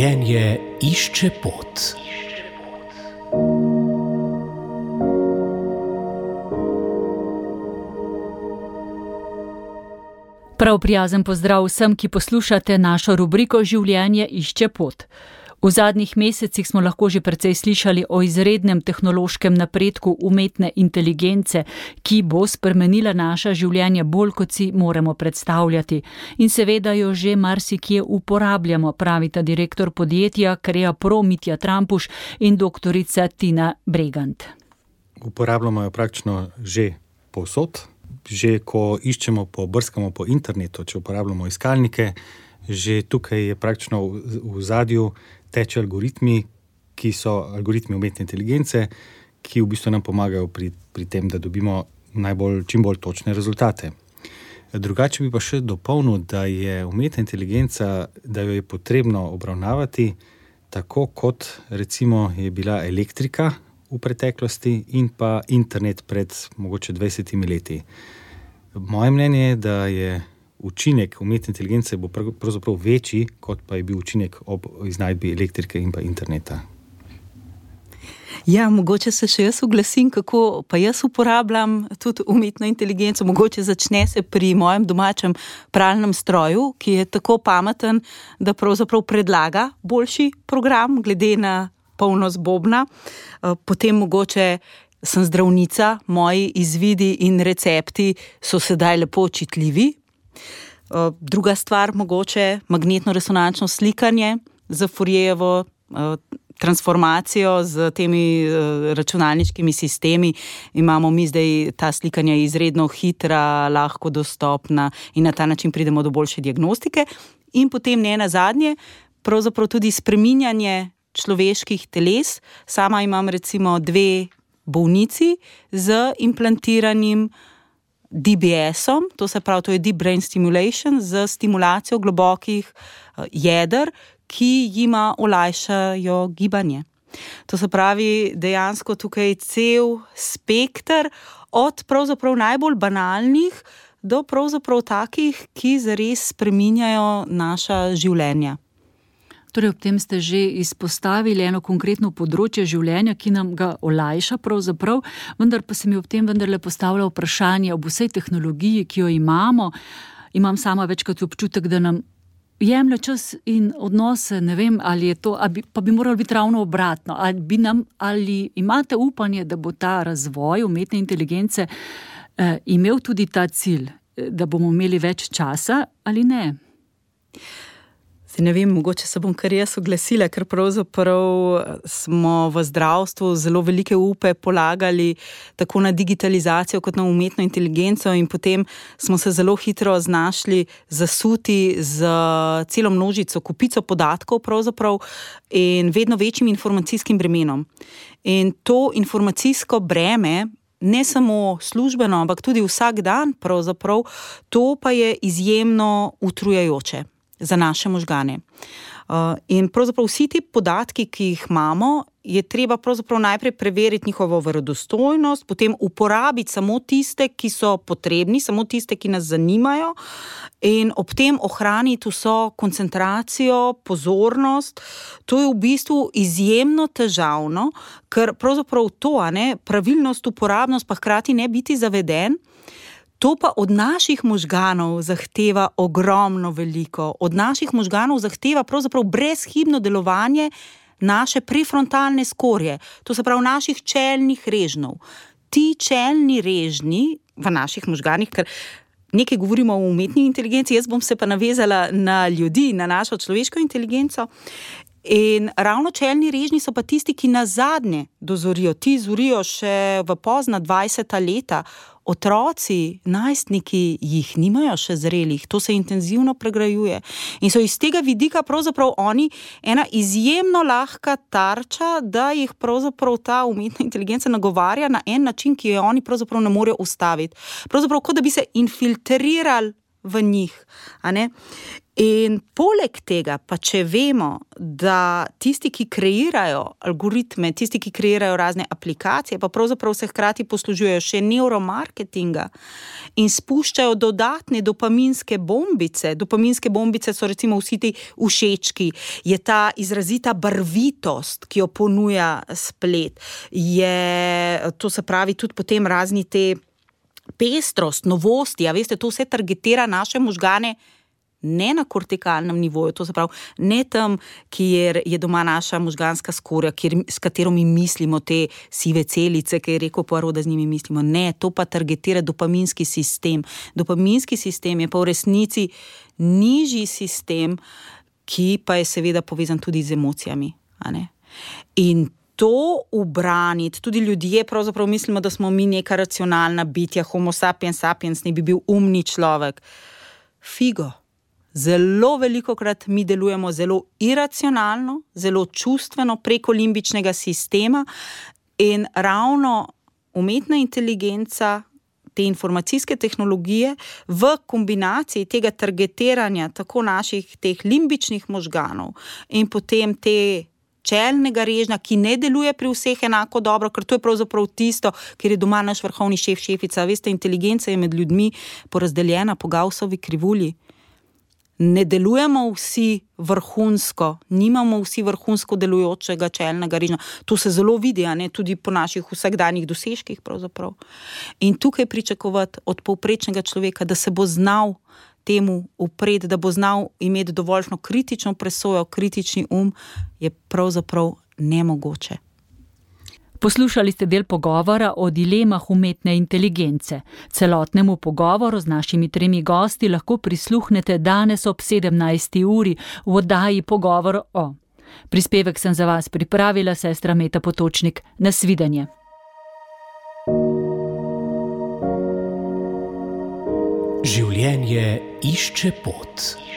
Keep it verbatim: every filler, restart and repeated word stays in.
Življenje išče pot. Prav prijazen pozdrav vsem, ki poslušate našo rubriko Življenje išče pot. V zadnjih mesecih smo lahko že precej slišali o izrednem tehnološkem napredku umetne inteligence, ki bo spremenila naša življenja bolj, kot si moramo predstavljati. In seveda jo že marsikje uporabljamo, pravita direktor podjetja Kreapro Mitja Trampuš in doktorica Tina Bregant. Uporabljamo jo praktično že povsod. Že ko iščemo, po, brskamo po internetu, če uporabljamo iskalnike, že tukaj je praktično v, v zadju teče algoritmi, ki so algoritmi umetne inteligence, ki v bistvu nam pomagajo pri, pri tem, da dobimo najbolj, čim bolj točne rezultate. Drugače bi pa še dopolnil, da je umetna inteligenca, da jo je potrebno obravnavati tako, kot recimo je bila elektrika v preteklosti in pa internet pred mogoče dvajsetimi leti. Moje mnenje je, da je učinek umetne inteligence bo pravzaprav večji, kot pa je bil učinek ob iznajdbi elektrike in pa interneta. Ja, mogoče se še jaz oglasim, kako pa jaz uporabljam tudi umetno inteligenco. Mogoče začne se pri mojem domačem pralnem stroju, ki je tako pameten, da pravzaprav predlaga boljši program glede na polnost bobna. Potem mogoče sem zdravnica, moji izvidi in recepti so sedaj lepo čitljivi. Druga stvar, mogoče magnetno-resonančno slikanje za Fourierjevo transformacijo z temi računalniškimi sistemi. Imamo mi zdaj ta slikanja izredno hitra, lahko dostopna in na ta način pridemo do boljše diagnostike. In potem ne nazadnje, pravzaprav tudi spreminjanje človeških teles. Sama imam recimo dve bolnici z implantiranim D B S-om, to se pravi, to je Deep Brain Stimulation, z stimulacijo globokih jeder, ki jima olajšajo gibanje. To se pravi, dejansko tukaj cel spekter od pravzaprav najbolj banalnih do pravzaprav takih, ki zares spreminjajo naša življenja. Torej, ob tem ste že izpostavili eno konkretno področje življenja, ki nam ga olajša pravzaprav, vendar pa se mi ob tem vendarle postavlja vprašanje ob vsej tehnologiji, ki jo imamo. Imam sama večkrat občutek, da nam jemlje čas in odnose, ne vem, ali je to, ali bi, pa bi moralo biti ravno obratno. Ali, bi nam, ali imate upanje, da bo ta razvoj umetne inteligence eh, imel tudi ta cilj, da bomo imeli več časa ali ne? Zdaj ne vem, mogoče se bom kar jaz oglasila, ker pravzaprav smo v zdravstvu zelo velike upe polagali tako na digitalizacijo kot na umetno inteligenco in potem smo se zelo hitro znašli zasuti z celo množico, kupico podatkov pravzaprav in vedno večjim informacijskim bremenom. In to informacijsko breme, ne samo službeno, ampak tudi vsak dan pravzaprav, to pa je izjemno utrujajoče za naše možgane. In pravzaprav vsi ti podatki, ki jih imamo, je treba pravzaprav najprej preveriti njihovo verodostojnost, potem uporabiti samo tiste, ki so potrebni, samo tiste, ki nas zanimajo in ob tem ohraniti vso koncentracijo, pozornost. To je v bistvu izjemno težavno, ker pravzaprav to, a ne, pravilnost, uporabnost, pa hkrati ne biti zaveden. To pa od naših možganov zahteva ogromno veliko. Od naših možganov zahteva pravzaprav brezhibno delovanje naše prefrontalne skorje, to se pravi naših čelnih režnjev. Ti čelni režnji v naših možganih, ker nekaj govorimo o umetni inteligenci, jaz bom se pa navezala na ljudi, na našo človeško inteligenco. In ravno čelni režnji so pa tisti, ki nas zadnje dozorijo. Ti zorijo še v pozna dvajseta leta. Otroci, najstniki jih nimajo še zrelih, to se intenzivno pregrajuje. In so iz tega vidika pravzaprav oni ena izjemno lahka tarča, da jih pravzaprav ta umetna inteligenca nagovarja na en način, ki jo oni pravzaprav ne morejo ustaviti. Pravzaprav kot da bi se infiltrirali v njih. A ne? In poleg tega, pa če vemo, da tisti, ki kreirajo algoritme, tisti, ki kreirajo razne aplikacije, pa pravzaprav se hkrati poslužujejo še neuromarketinga in spuščajo dodatne dopaminske bombice. Dopaminske bombice so recimo vsi ti všečki, je ta izrazita barvitost, ki jo ponuja splet, je, to se pravi tudi potem razni te pestrost, novosti, a veste, to vse targetira naše možgane ne na kortikalnem nivoju, to se pravi, ne tam, kjer je doma naša možganska skorja, kjer, s katero mi mislimo te sive celice, ki je rekel Poirot, da z njimi mislimo. Ne, to pa targetira dopaminski sistem. Dopaminski sistem je pa v resnici nižji sistem, ki pa je seveda povezan tudi z emocijami. A ne? In to ubraniti, tudi ljudje pravzaprav mislimo, da smo mi neka racionalna bitja, homo sapiens sapiens, ne bi bil umni človek. Figo. Zelo velikokrat mi delujemo zelo iracionalno, zelo čustveno preko limbičnega sistema in ravno umetna inteligenca, te informacijske tehnologije v kombinaciji tega targetiranja tako naših teh limbičnih možganov in potem te čelnega režnja, ki ne deluje pri vseh enako dobro, ker to je pravzaprav tisto, ker je doma naš vrhovni šef, šefica. Veste, inteligenca je med ljudmi porazdeljena po Gaussovi krivulji. Ne delujemo vsi vrhunsko, nimamo vsi vrhunsko delujočega čelnega režnja. To se zelo vidi, a ne, tudi po naših vsakdanjih dosežkih pravzaprav. In tukaj pričakovati od povprečnega človeka, da se bo znal temu upreti, da bo znal imeti dovoljšno kritično presojo, kritični um, je pravzaprav nemogoče. Poslušali ste del pogovora o dilemah umetne inteligence. Celotnemu pogovoru z našimi tremi gosti lahko prisluhnete danes ob sedemnajsti uri v oddaji Pogovor o. Prispevek sem za vas pripravila sestra Meta Potočnik. Nasvidenje. Življenje išče pot.